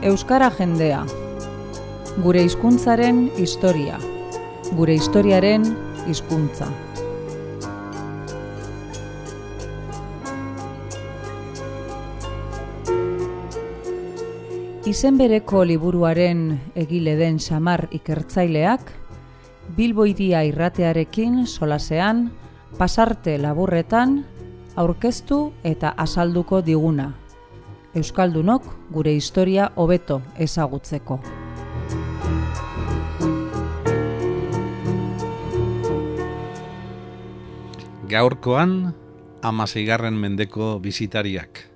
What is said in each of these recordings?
Euskara jendea. Gure hizkuntzaren historia. Gure historiaren hizkuntza. Izen bereko liburuaren egile den Xamar ikertzaileak, Bilbo Hiria irratearekin solasean, pasarte laburretan, aurkeztu eta azalduko diguna. Euskaldunok gure historia hobeto ezagutzeko. Gaurkoan, 16. mendeko bisitariak.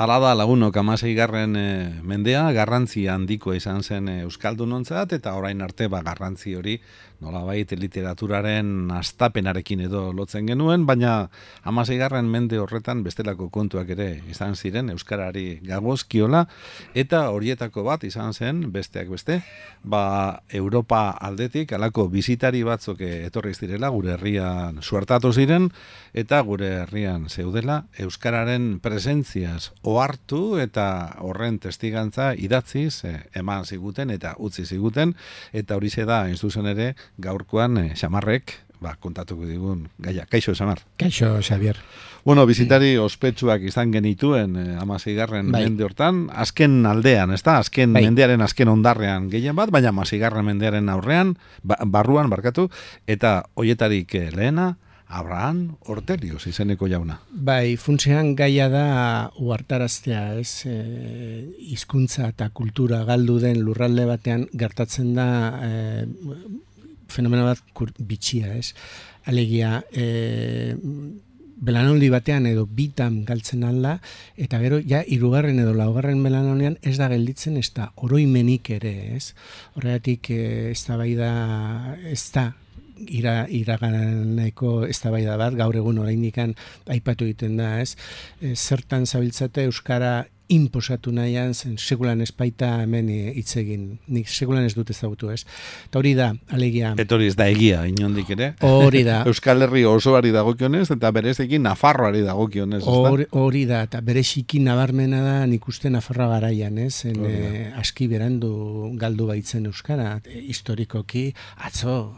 Hala da lagunok 16. Mendea garrantzi handiko izan zen euskaldunontzat eta orain arte garrantzi hori nolabait literaturaren hastapenarekin edo lotzen genuen, baina 16. Mende horretan bestelako kontuak ere izan ziren euskarari gagozkiola eta horietako bat izan zen besteak beste, Europa aldetik halako bisitari batzuk etorri zirela gure herrian suertatu ziren eta gure herrian zeudela euskararen presentziaz ohartu eta horren testigantza idatziz eman ziguten eta utzi ziguten eta horixe da hain zuzen ere gaurkoan Xamarrek kontatuko digun gaia. Kaixo, Xamar. Kaixo, Xavier. Bueno, bisitari ospetsuak izan genituen 16. Mende hortan, azken aldean, ez da? Azken mendearen azken ondarrean gehien bat, baina 16. Mendearen aurrean, barruan, eta hoietarik lehena, Abraham Ortelius izeneko jauna. Funtsean gaia da uhartaraztea, ez? Hizkuntza eta kultura galdu den lurralde batean gertatzen da fenomeno bat bitxia, ez? Alegia, belanoldi batean edo bitan galtzen alda, eta gero, ja, 3. edo 4. belanoldian ez da gelditzen, ez da oroimenik ere, ez? Horregatik, ez da iraganeko eztabaida bat, gaur egun oraindikan aipatu egiten da, ez? Zertan zabiltzate euskara inposatu nahian, zen sekulan ez baita hemen hitz egin. Nik sekulan ez dut ezagutu, ez? Eta hori da, alegia... Eta hori ez da egia, inondik ere. Hori da. Euskal Herri osoari dagokionez, eta bereziki Nafarroari dagokionez, ez da? Hori da, eta bereziki nabarmena da nik uste Nafarroa garaian, ez? Aski berandu galdu baitzen euskara, historikoki, atzo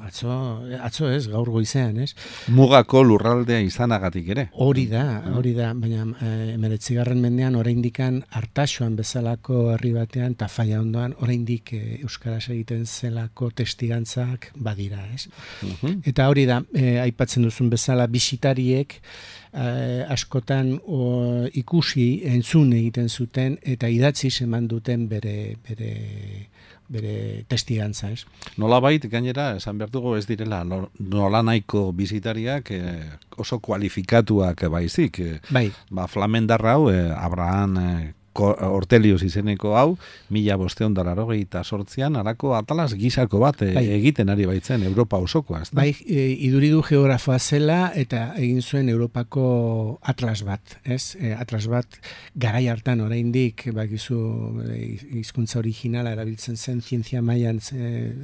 ez, gaur goizean, ez? Mugako lurraldea izanagatik ere. Hori da, baina 19. mendean oraindikan Artaxoan bezalako herri batean eta Faia ondoan oraindik euskaraz egiten zelako testigantzak badira, ez? Eta hori da, aipatzen duzun bezala bisitariek askotan ikusi, entzun egiten zuten eta idatziz eman duten bere testigantza, ez? Nolabait, gainera, esan behar dugu ez direla nolanaiko bisitariak oso kualifikatuak baizik. Flamendarra hau, Abraham Ortelius izeneko hau, 1588an harako atalas gisako bat egiten ari baitzen Europa osokoa, ez da? Iduridu geografoa zela eta egin zuen Europako atlas bat, ez? Atlas bat garai hartan oraindik bakizu hizkuntza originala erabiltzen zen zientzia mailan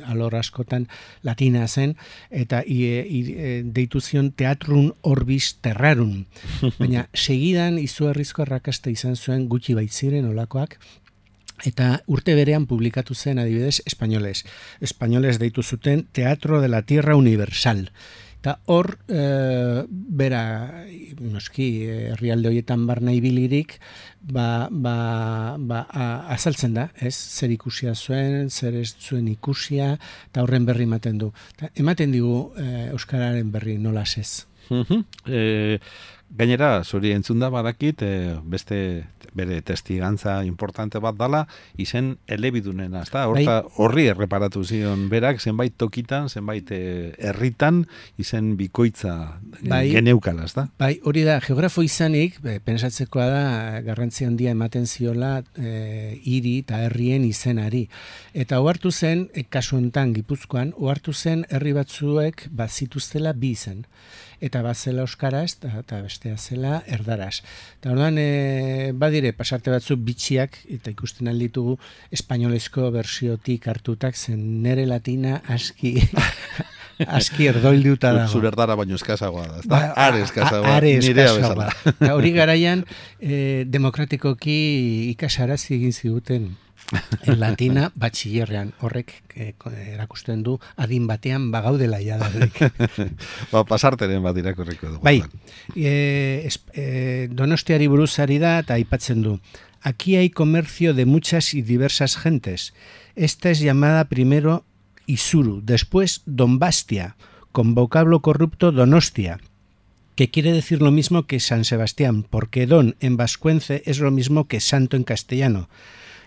alor askotan latina zen eta deitu zion teatrun orbis terrarum. Baina segidan izugarrizko arrakasta izan zuen gutxi baitz ziren olakoak, eta urte berean publikatu zen adibidez Españoles deitu zuten Teatro de la Tierra Universal. Eta hor, bera, noski, herrialde horietan barna ibilirik, azaltzen da, ez? Zer ikusia zuen, zer ez zuen ikusia, eta horren berri ematen du. Ematen digu euskararen berri nolaz ez. Gainera, zuri entzunda badakit, beste bere testigantza importante bat dala, izen elebidunena, ezta? Horri erreparatu zion berak, zenbait tokitan, zenbait herritan, izen bikoitza geneukala, ezta? Hori da, geografo izanik, pensatzekoa da, garrantzi handia ematen ziola hiri eta herrien izenari. Eta ohartu zen, kasu honetan Gipuzkoan, ohartu zen herri batzuek bazituztela bi izen. Eta bazela euskaraz eta bestea zela erdaraz. Eta orduan badire pasarte batzuk bitxiak eta ikusten alditugu espainolezko bersiotik hartutak zen nere latina aski aski erdoilduta dago. Zure erdara baino eskazagoa da, ezta? Ba, Are eskazagoa, are nirea eskazagoa. bezala. Eta hori garaian, demokratikoki ikasarazi egin ziguten en latina batxillerrean, horrek erakusten du adin batean bagaudela jadarik. Ba, pasarteren bat irakurriko dugu. Bai, Donostiari buruz ari da eta aipatzen du. Aquí hay comercio de muchas y diversas gentes. Esta es llamada primero Isuru, después Donbastia, con vocablo corrupto Donostia, que quiere decir lo mismo que San Sebastián, porque don en vascuence es lo mismo que santo en castellano.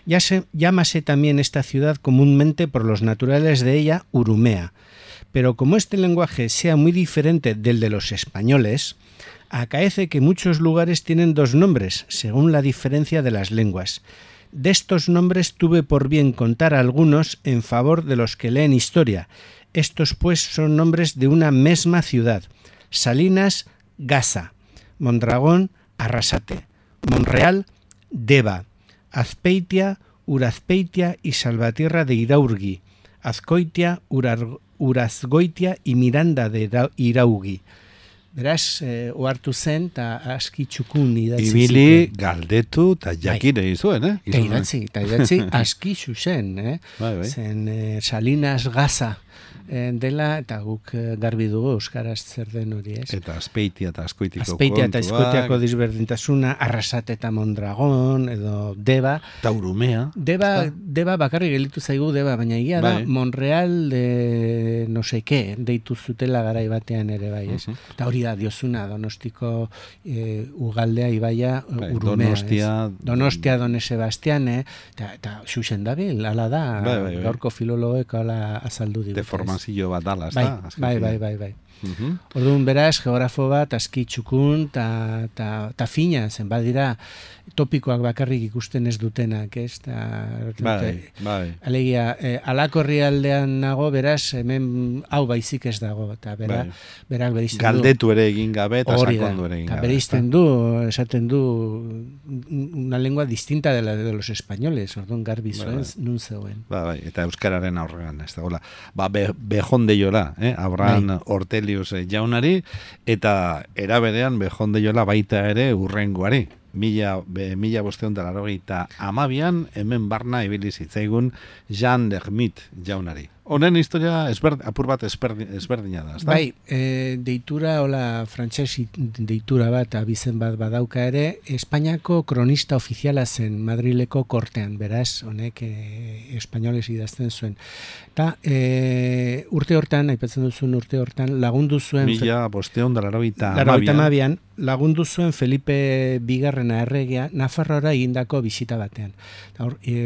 Llámase también esta ciudad comúnmente por los naturales de ella Urumea, pero como este lenguaje sea muy diferente del de los españoles, acaece que muchos lugares tienen dos nombres, según la diferencia de las lenguas. De estos nombres tuve por bien contar algunos en favor de los que leen historia. Estos pues son nombres de una misma ciudad: Salinas, Gasa; Mondragón, Arrasate; Monreal, Deva; Azpeitia, Urazpeitia y Salvatierra de Iraurgi; Azcoitia, Urazgoitia y Miranda de Iraugi. Beraz, ohartu zen, eta aski txukun idatzi zituen. Ibili, galdetu, eta jakire izuen, Eta idatzi aski zuzen, Bai. Zen Salinas Gaza dela, eta guk garbi dugu euskaraz zer den hori, ez? Eta Azpeitia eta Azkoitiko Azpeitia eta Azkoitiako disberdintasuna, Arrasate eta Mondragón, edo Deba. Eta Urumea. Deba bakarrik gelitu zaigu Deba, baina egia da, Monreal de no sé qué, deitu zutela garai batean ere bai, ez? Eta hori da, diozuna, Donostiko ugaldea ibaia Urumea, Donostia, Done Sebastian, eta xuxen dabil, ala da, gaurko filologoek ala azaldu digu. Deformazio bat dala, ez da? Bai. Orduan beraz, geografo bat, aski txukun, eta fina, zen badira topikoak bakarrik ikusten ez dutenak, ez? Bai. Alegia, alako herrialdean nago, beraz, hemen hau baizik ez dago, eta berak bereizten du. Galdetu ere egin gabe, eta sakondu ere egin gabe. Eta bereizten du, esaten du, una lengua distinta de la de los españoles, orduan garbi zuen, nun zegoen. Bai, eta euskararen aurrean, ez da, hola. Ba, bejondeiola, Abraham Ortelius jaunari, eta eraberean bejondeiola baita ere urrengoari. 1582an hemen barna ibili zitzaigun Jean Lermit jaunari. Honen historia apur bat ezberdina da, ezta? Bai, deitura, hola, frantses deitura bat, abizen bat badauka ere, Espainiako kronista ofiziala zen Madrileko kortean, beraz, honek espainoles idazten zuen. Eta urte hortan, aipatzen duzun urte hortan, lagundu zuen... 1582an lagundu zuen Felipe Bigarrena erregea Nafarroara egindako bisita batean.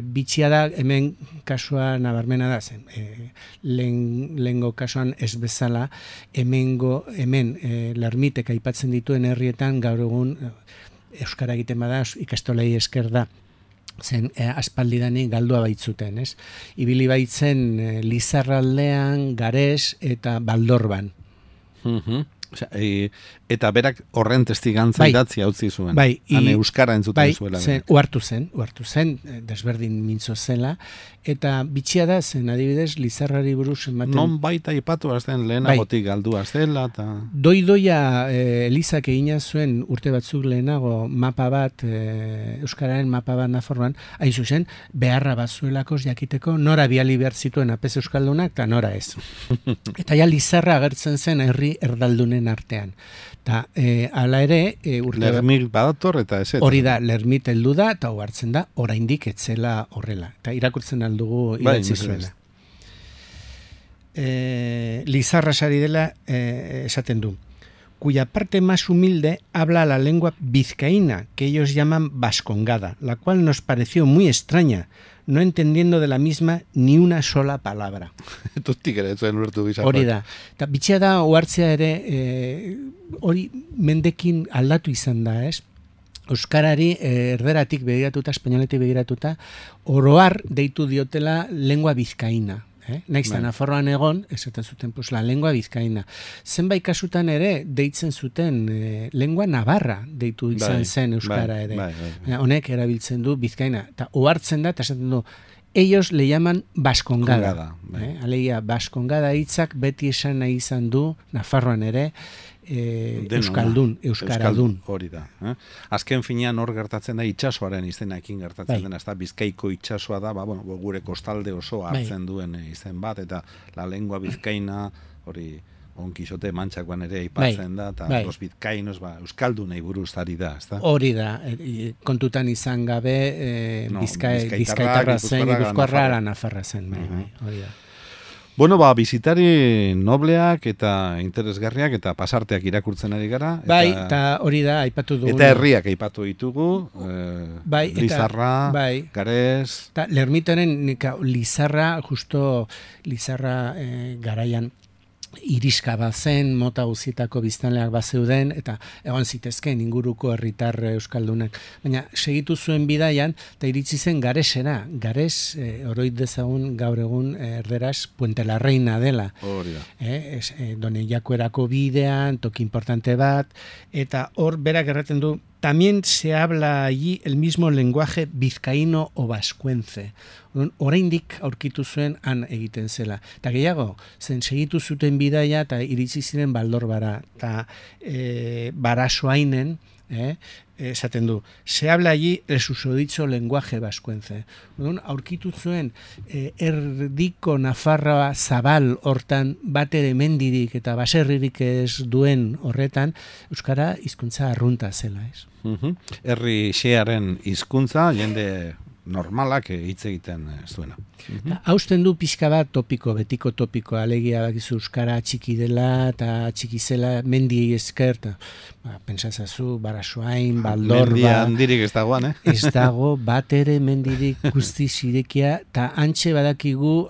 Bitxia da, hemen kasua nabarmena da zen. Lehengo kasuan ez bezala, hemen Lermitek aipatzen dituen herrietan gaur egun euskara egiten bada ikastolei esker da. Zen aspaldidani galdua baitzuten, ez? Ibili baitzen Lizarraldean, Gares eta Baldorban. Eta berak horren testigantza idatzi utzi zuen. Bai, euskara entzuten zuela. Uhartu zen, desberdin mintzo zela, eta bitxia da zen, adibidez, Lizarrari buruz ematen... Non baita ipatu azten lehenagotik galdua zela, eta... Doidoia Elizak egina zuen urte batzuk lehenago mapa bat, euskararen mapa bat Nafarroan, hain zuzen, beharra bazuelakos jakiteko nora biali behar zituen apez euskaldunak, eta nora ez. Eta ja Lizarra agertzen zen herri erdaldunen artean. Eta hala ere... Lermit badator eta ez. Hori da, Lermit heldu da, eta hartzen da, oraindik etzela horrela. Eta irakurtzen aldugu idatzi zuela. Lizarra sari dela esaten du. Cuya parte más humilde habla la lengua vizcaína, que ellos llaman vascongada, la cual nos pareció muy extraña, no entendiendo de la misma ni una sola palabra. Hori da. Eta bitxea da, ohartzea ere, hori mendekin aldatu izan da, ez? Euskarari erderatik begiratuta, espainoletik begiratuta, oroar deitu diotela lengua vizcaína. Naiz da Nafarroan egon, esaten zuten, pues, la lengua vizcaína. Zenbait kasutan ere, deitzen zuten lengua navarra deitu izan zen euskara ere. Honek erabiltzen du vizcaína. Eta ohartzen da, eta esaten du, ellos le llaman Baskongada. Bai. Alegia, Baskongada hitzak beti esan nahi izan du, Nafarroan ere, euskaradun. Hori da. Azken finean hor gertatzen da itsasoaren izenarekin gertatzen dena, ezta Bizkaiko itsasoa da, gure kostalde oso hartzen duen izen bat, eta la lengua bizkaina, hori Don Quixote mantxakoan ere aipatzen da, eta los bizkainos, euskaldunei buruz ari da, ezta? Hori da, kontutan izan gabe, bizkaitarra zen, gipuzkoarra nafarra zen, hori da. Bueno, bizitari nobleak eta interesgarriak eta pasarteak irakurtzen ari gara. Eta hori da, aipatu dugu. Eta herriak aipatu ditugu, Lizarra, Gares. Lermitaren Lizarra, justo Lizarra garaian iriska bazen, mota guzietako biztanleak bazeuden, eta egon zitezken inguruko herritar euskaldunak. Baina segitu zuen bidaian, eta iritsi zen Garesera. Gares, oroit dezagun gaur egun erderaz Puente la Reina dela. Hori da. Done Jakuerako bidean, toki importante bat, eta hor berak erraten du, también se habla allí el mismo lenguaje vizcaíno o vascuence. Oraindik aurkitu zuen han egiten zela. Eta gehiago, zen segitu zuten bidaia eta iritsi ziren Baldorbara. Eta Barasoainen, esaten du, se habla allí el susodicho lenguaje vascuence. Aurkitu zuen erdiko Nafarroa zabal hortan batere mendirik eta baserririk ez duen horretan, euskara hizkuntza arrunta zela, ez? Herri xearen hizkuntza jende normalak hitz egiten zuena. Hausten du pixka bat topiko, betiko topiko, alegia bakizu euskara txiki dela eta txiki zela mendiei esker, pentsazazu, Barasoain, Baldorba... Mendia handirik ez dagoan, Ez dago, bat ere mendirik guzti zirekia, eta antxe badakigu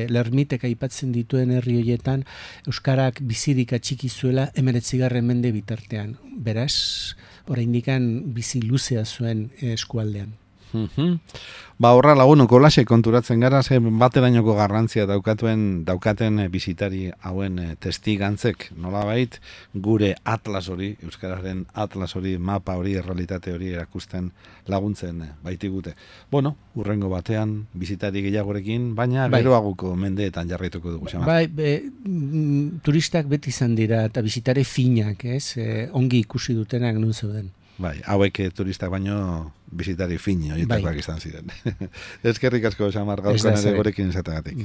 Lermitek aipatzen dituen herri horietan, euskarak bizirik atxiki zuela 19. mende bitartean. Beraz, oraindikan bizi luzea zuen eskualdean. Horra lagunoko lase konturatzen gara, ze baterainoko garrantzia daukaten bizitari hauen testigantzek, nolabait gure atlas hori, euskararen atlas hori, mapa hori, errealitate hori erakusten laguntzen baitigute. Bueno, urrengo batean bizitari gehiagorekin, baina geroaguko mendeetan jarraituko dugu. Turistak beti izan dira eta bizitare finak, ongi ikusi dutenak nun zeuden. Hauek turistak baino bizitari fin horietakoak izan ziren. Eskerrik asko, Xamar, gaurkoan ere gurekin izatagatik.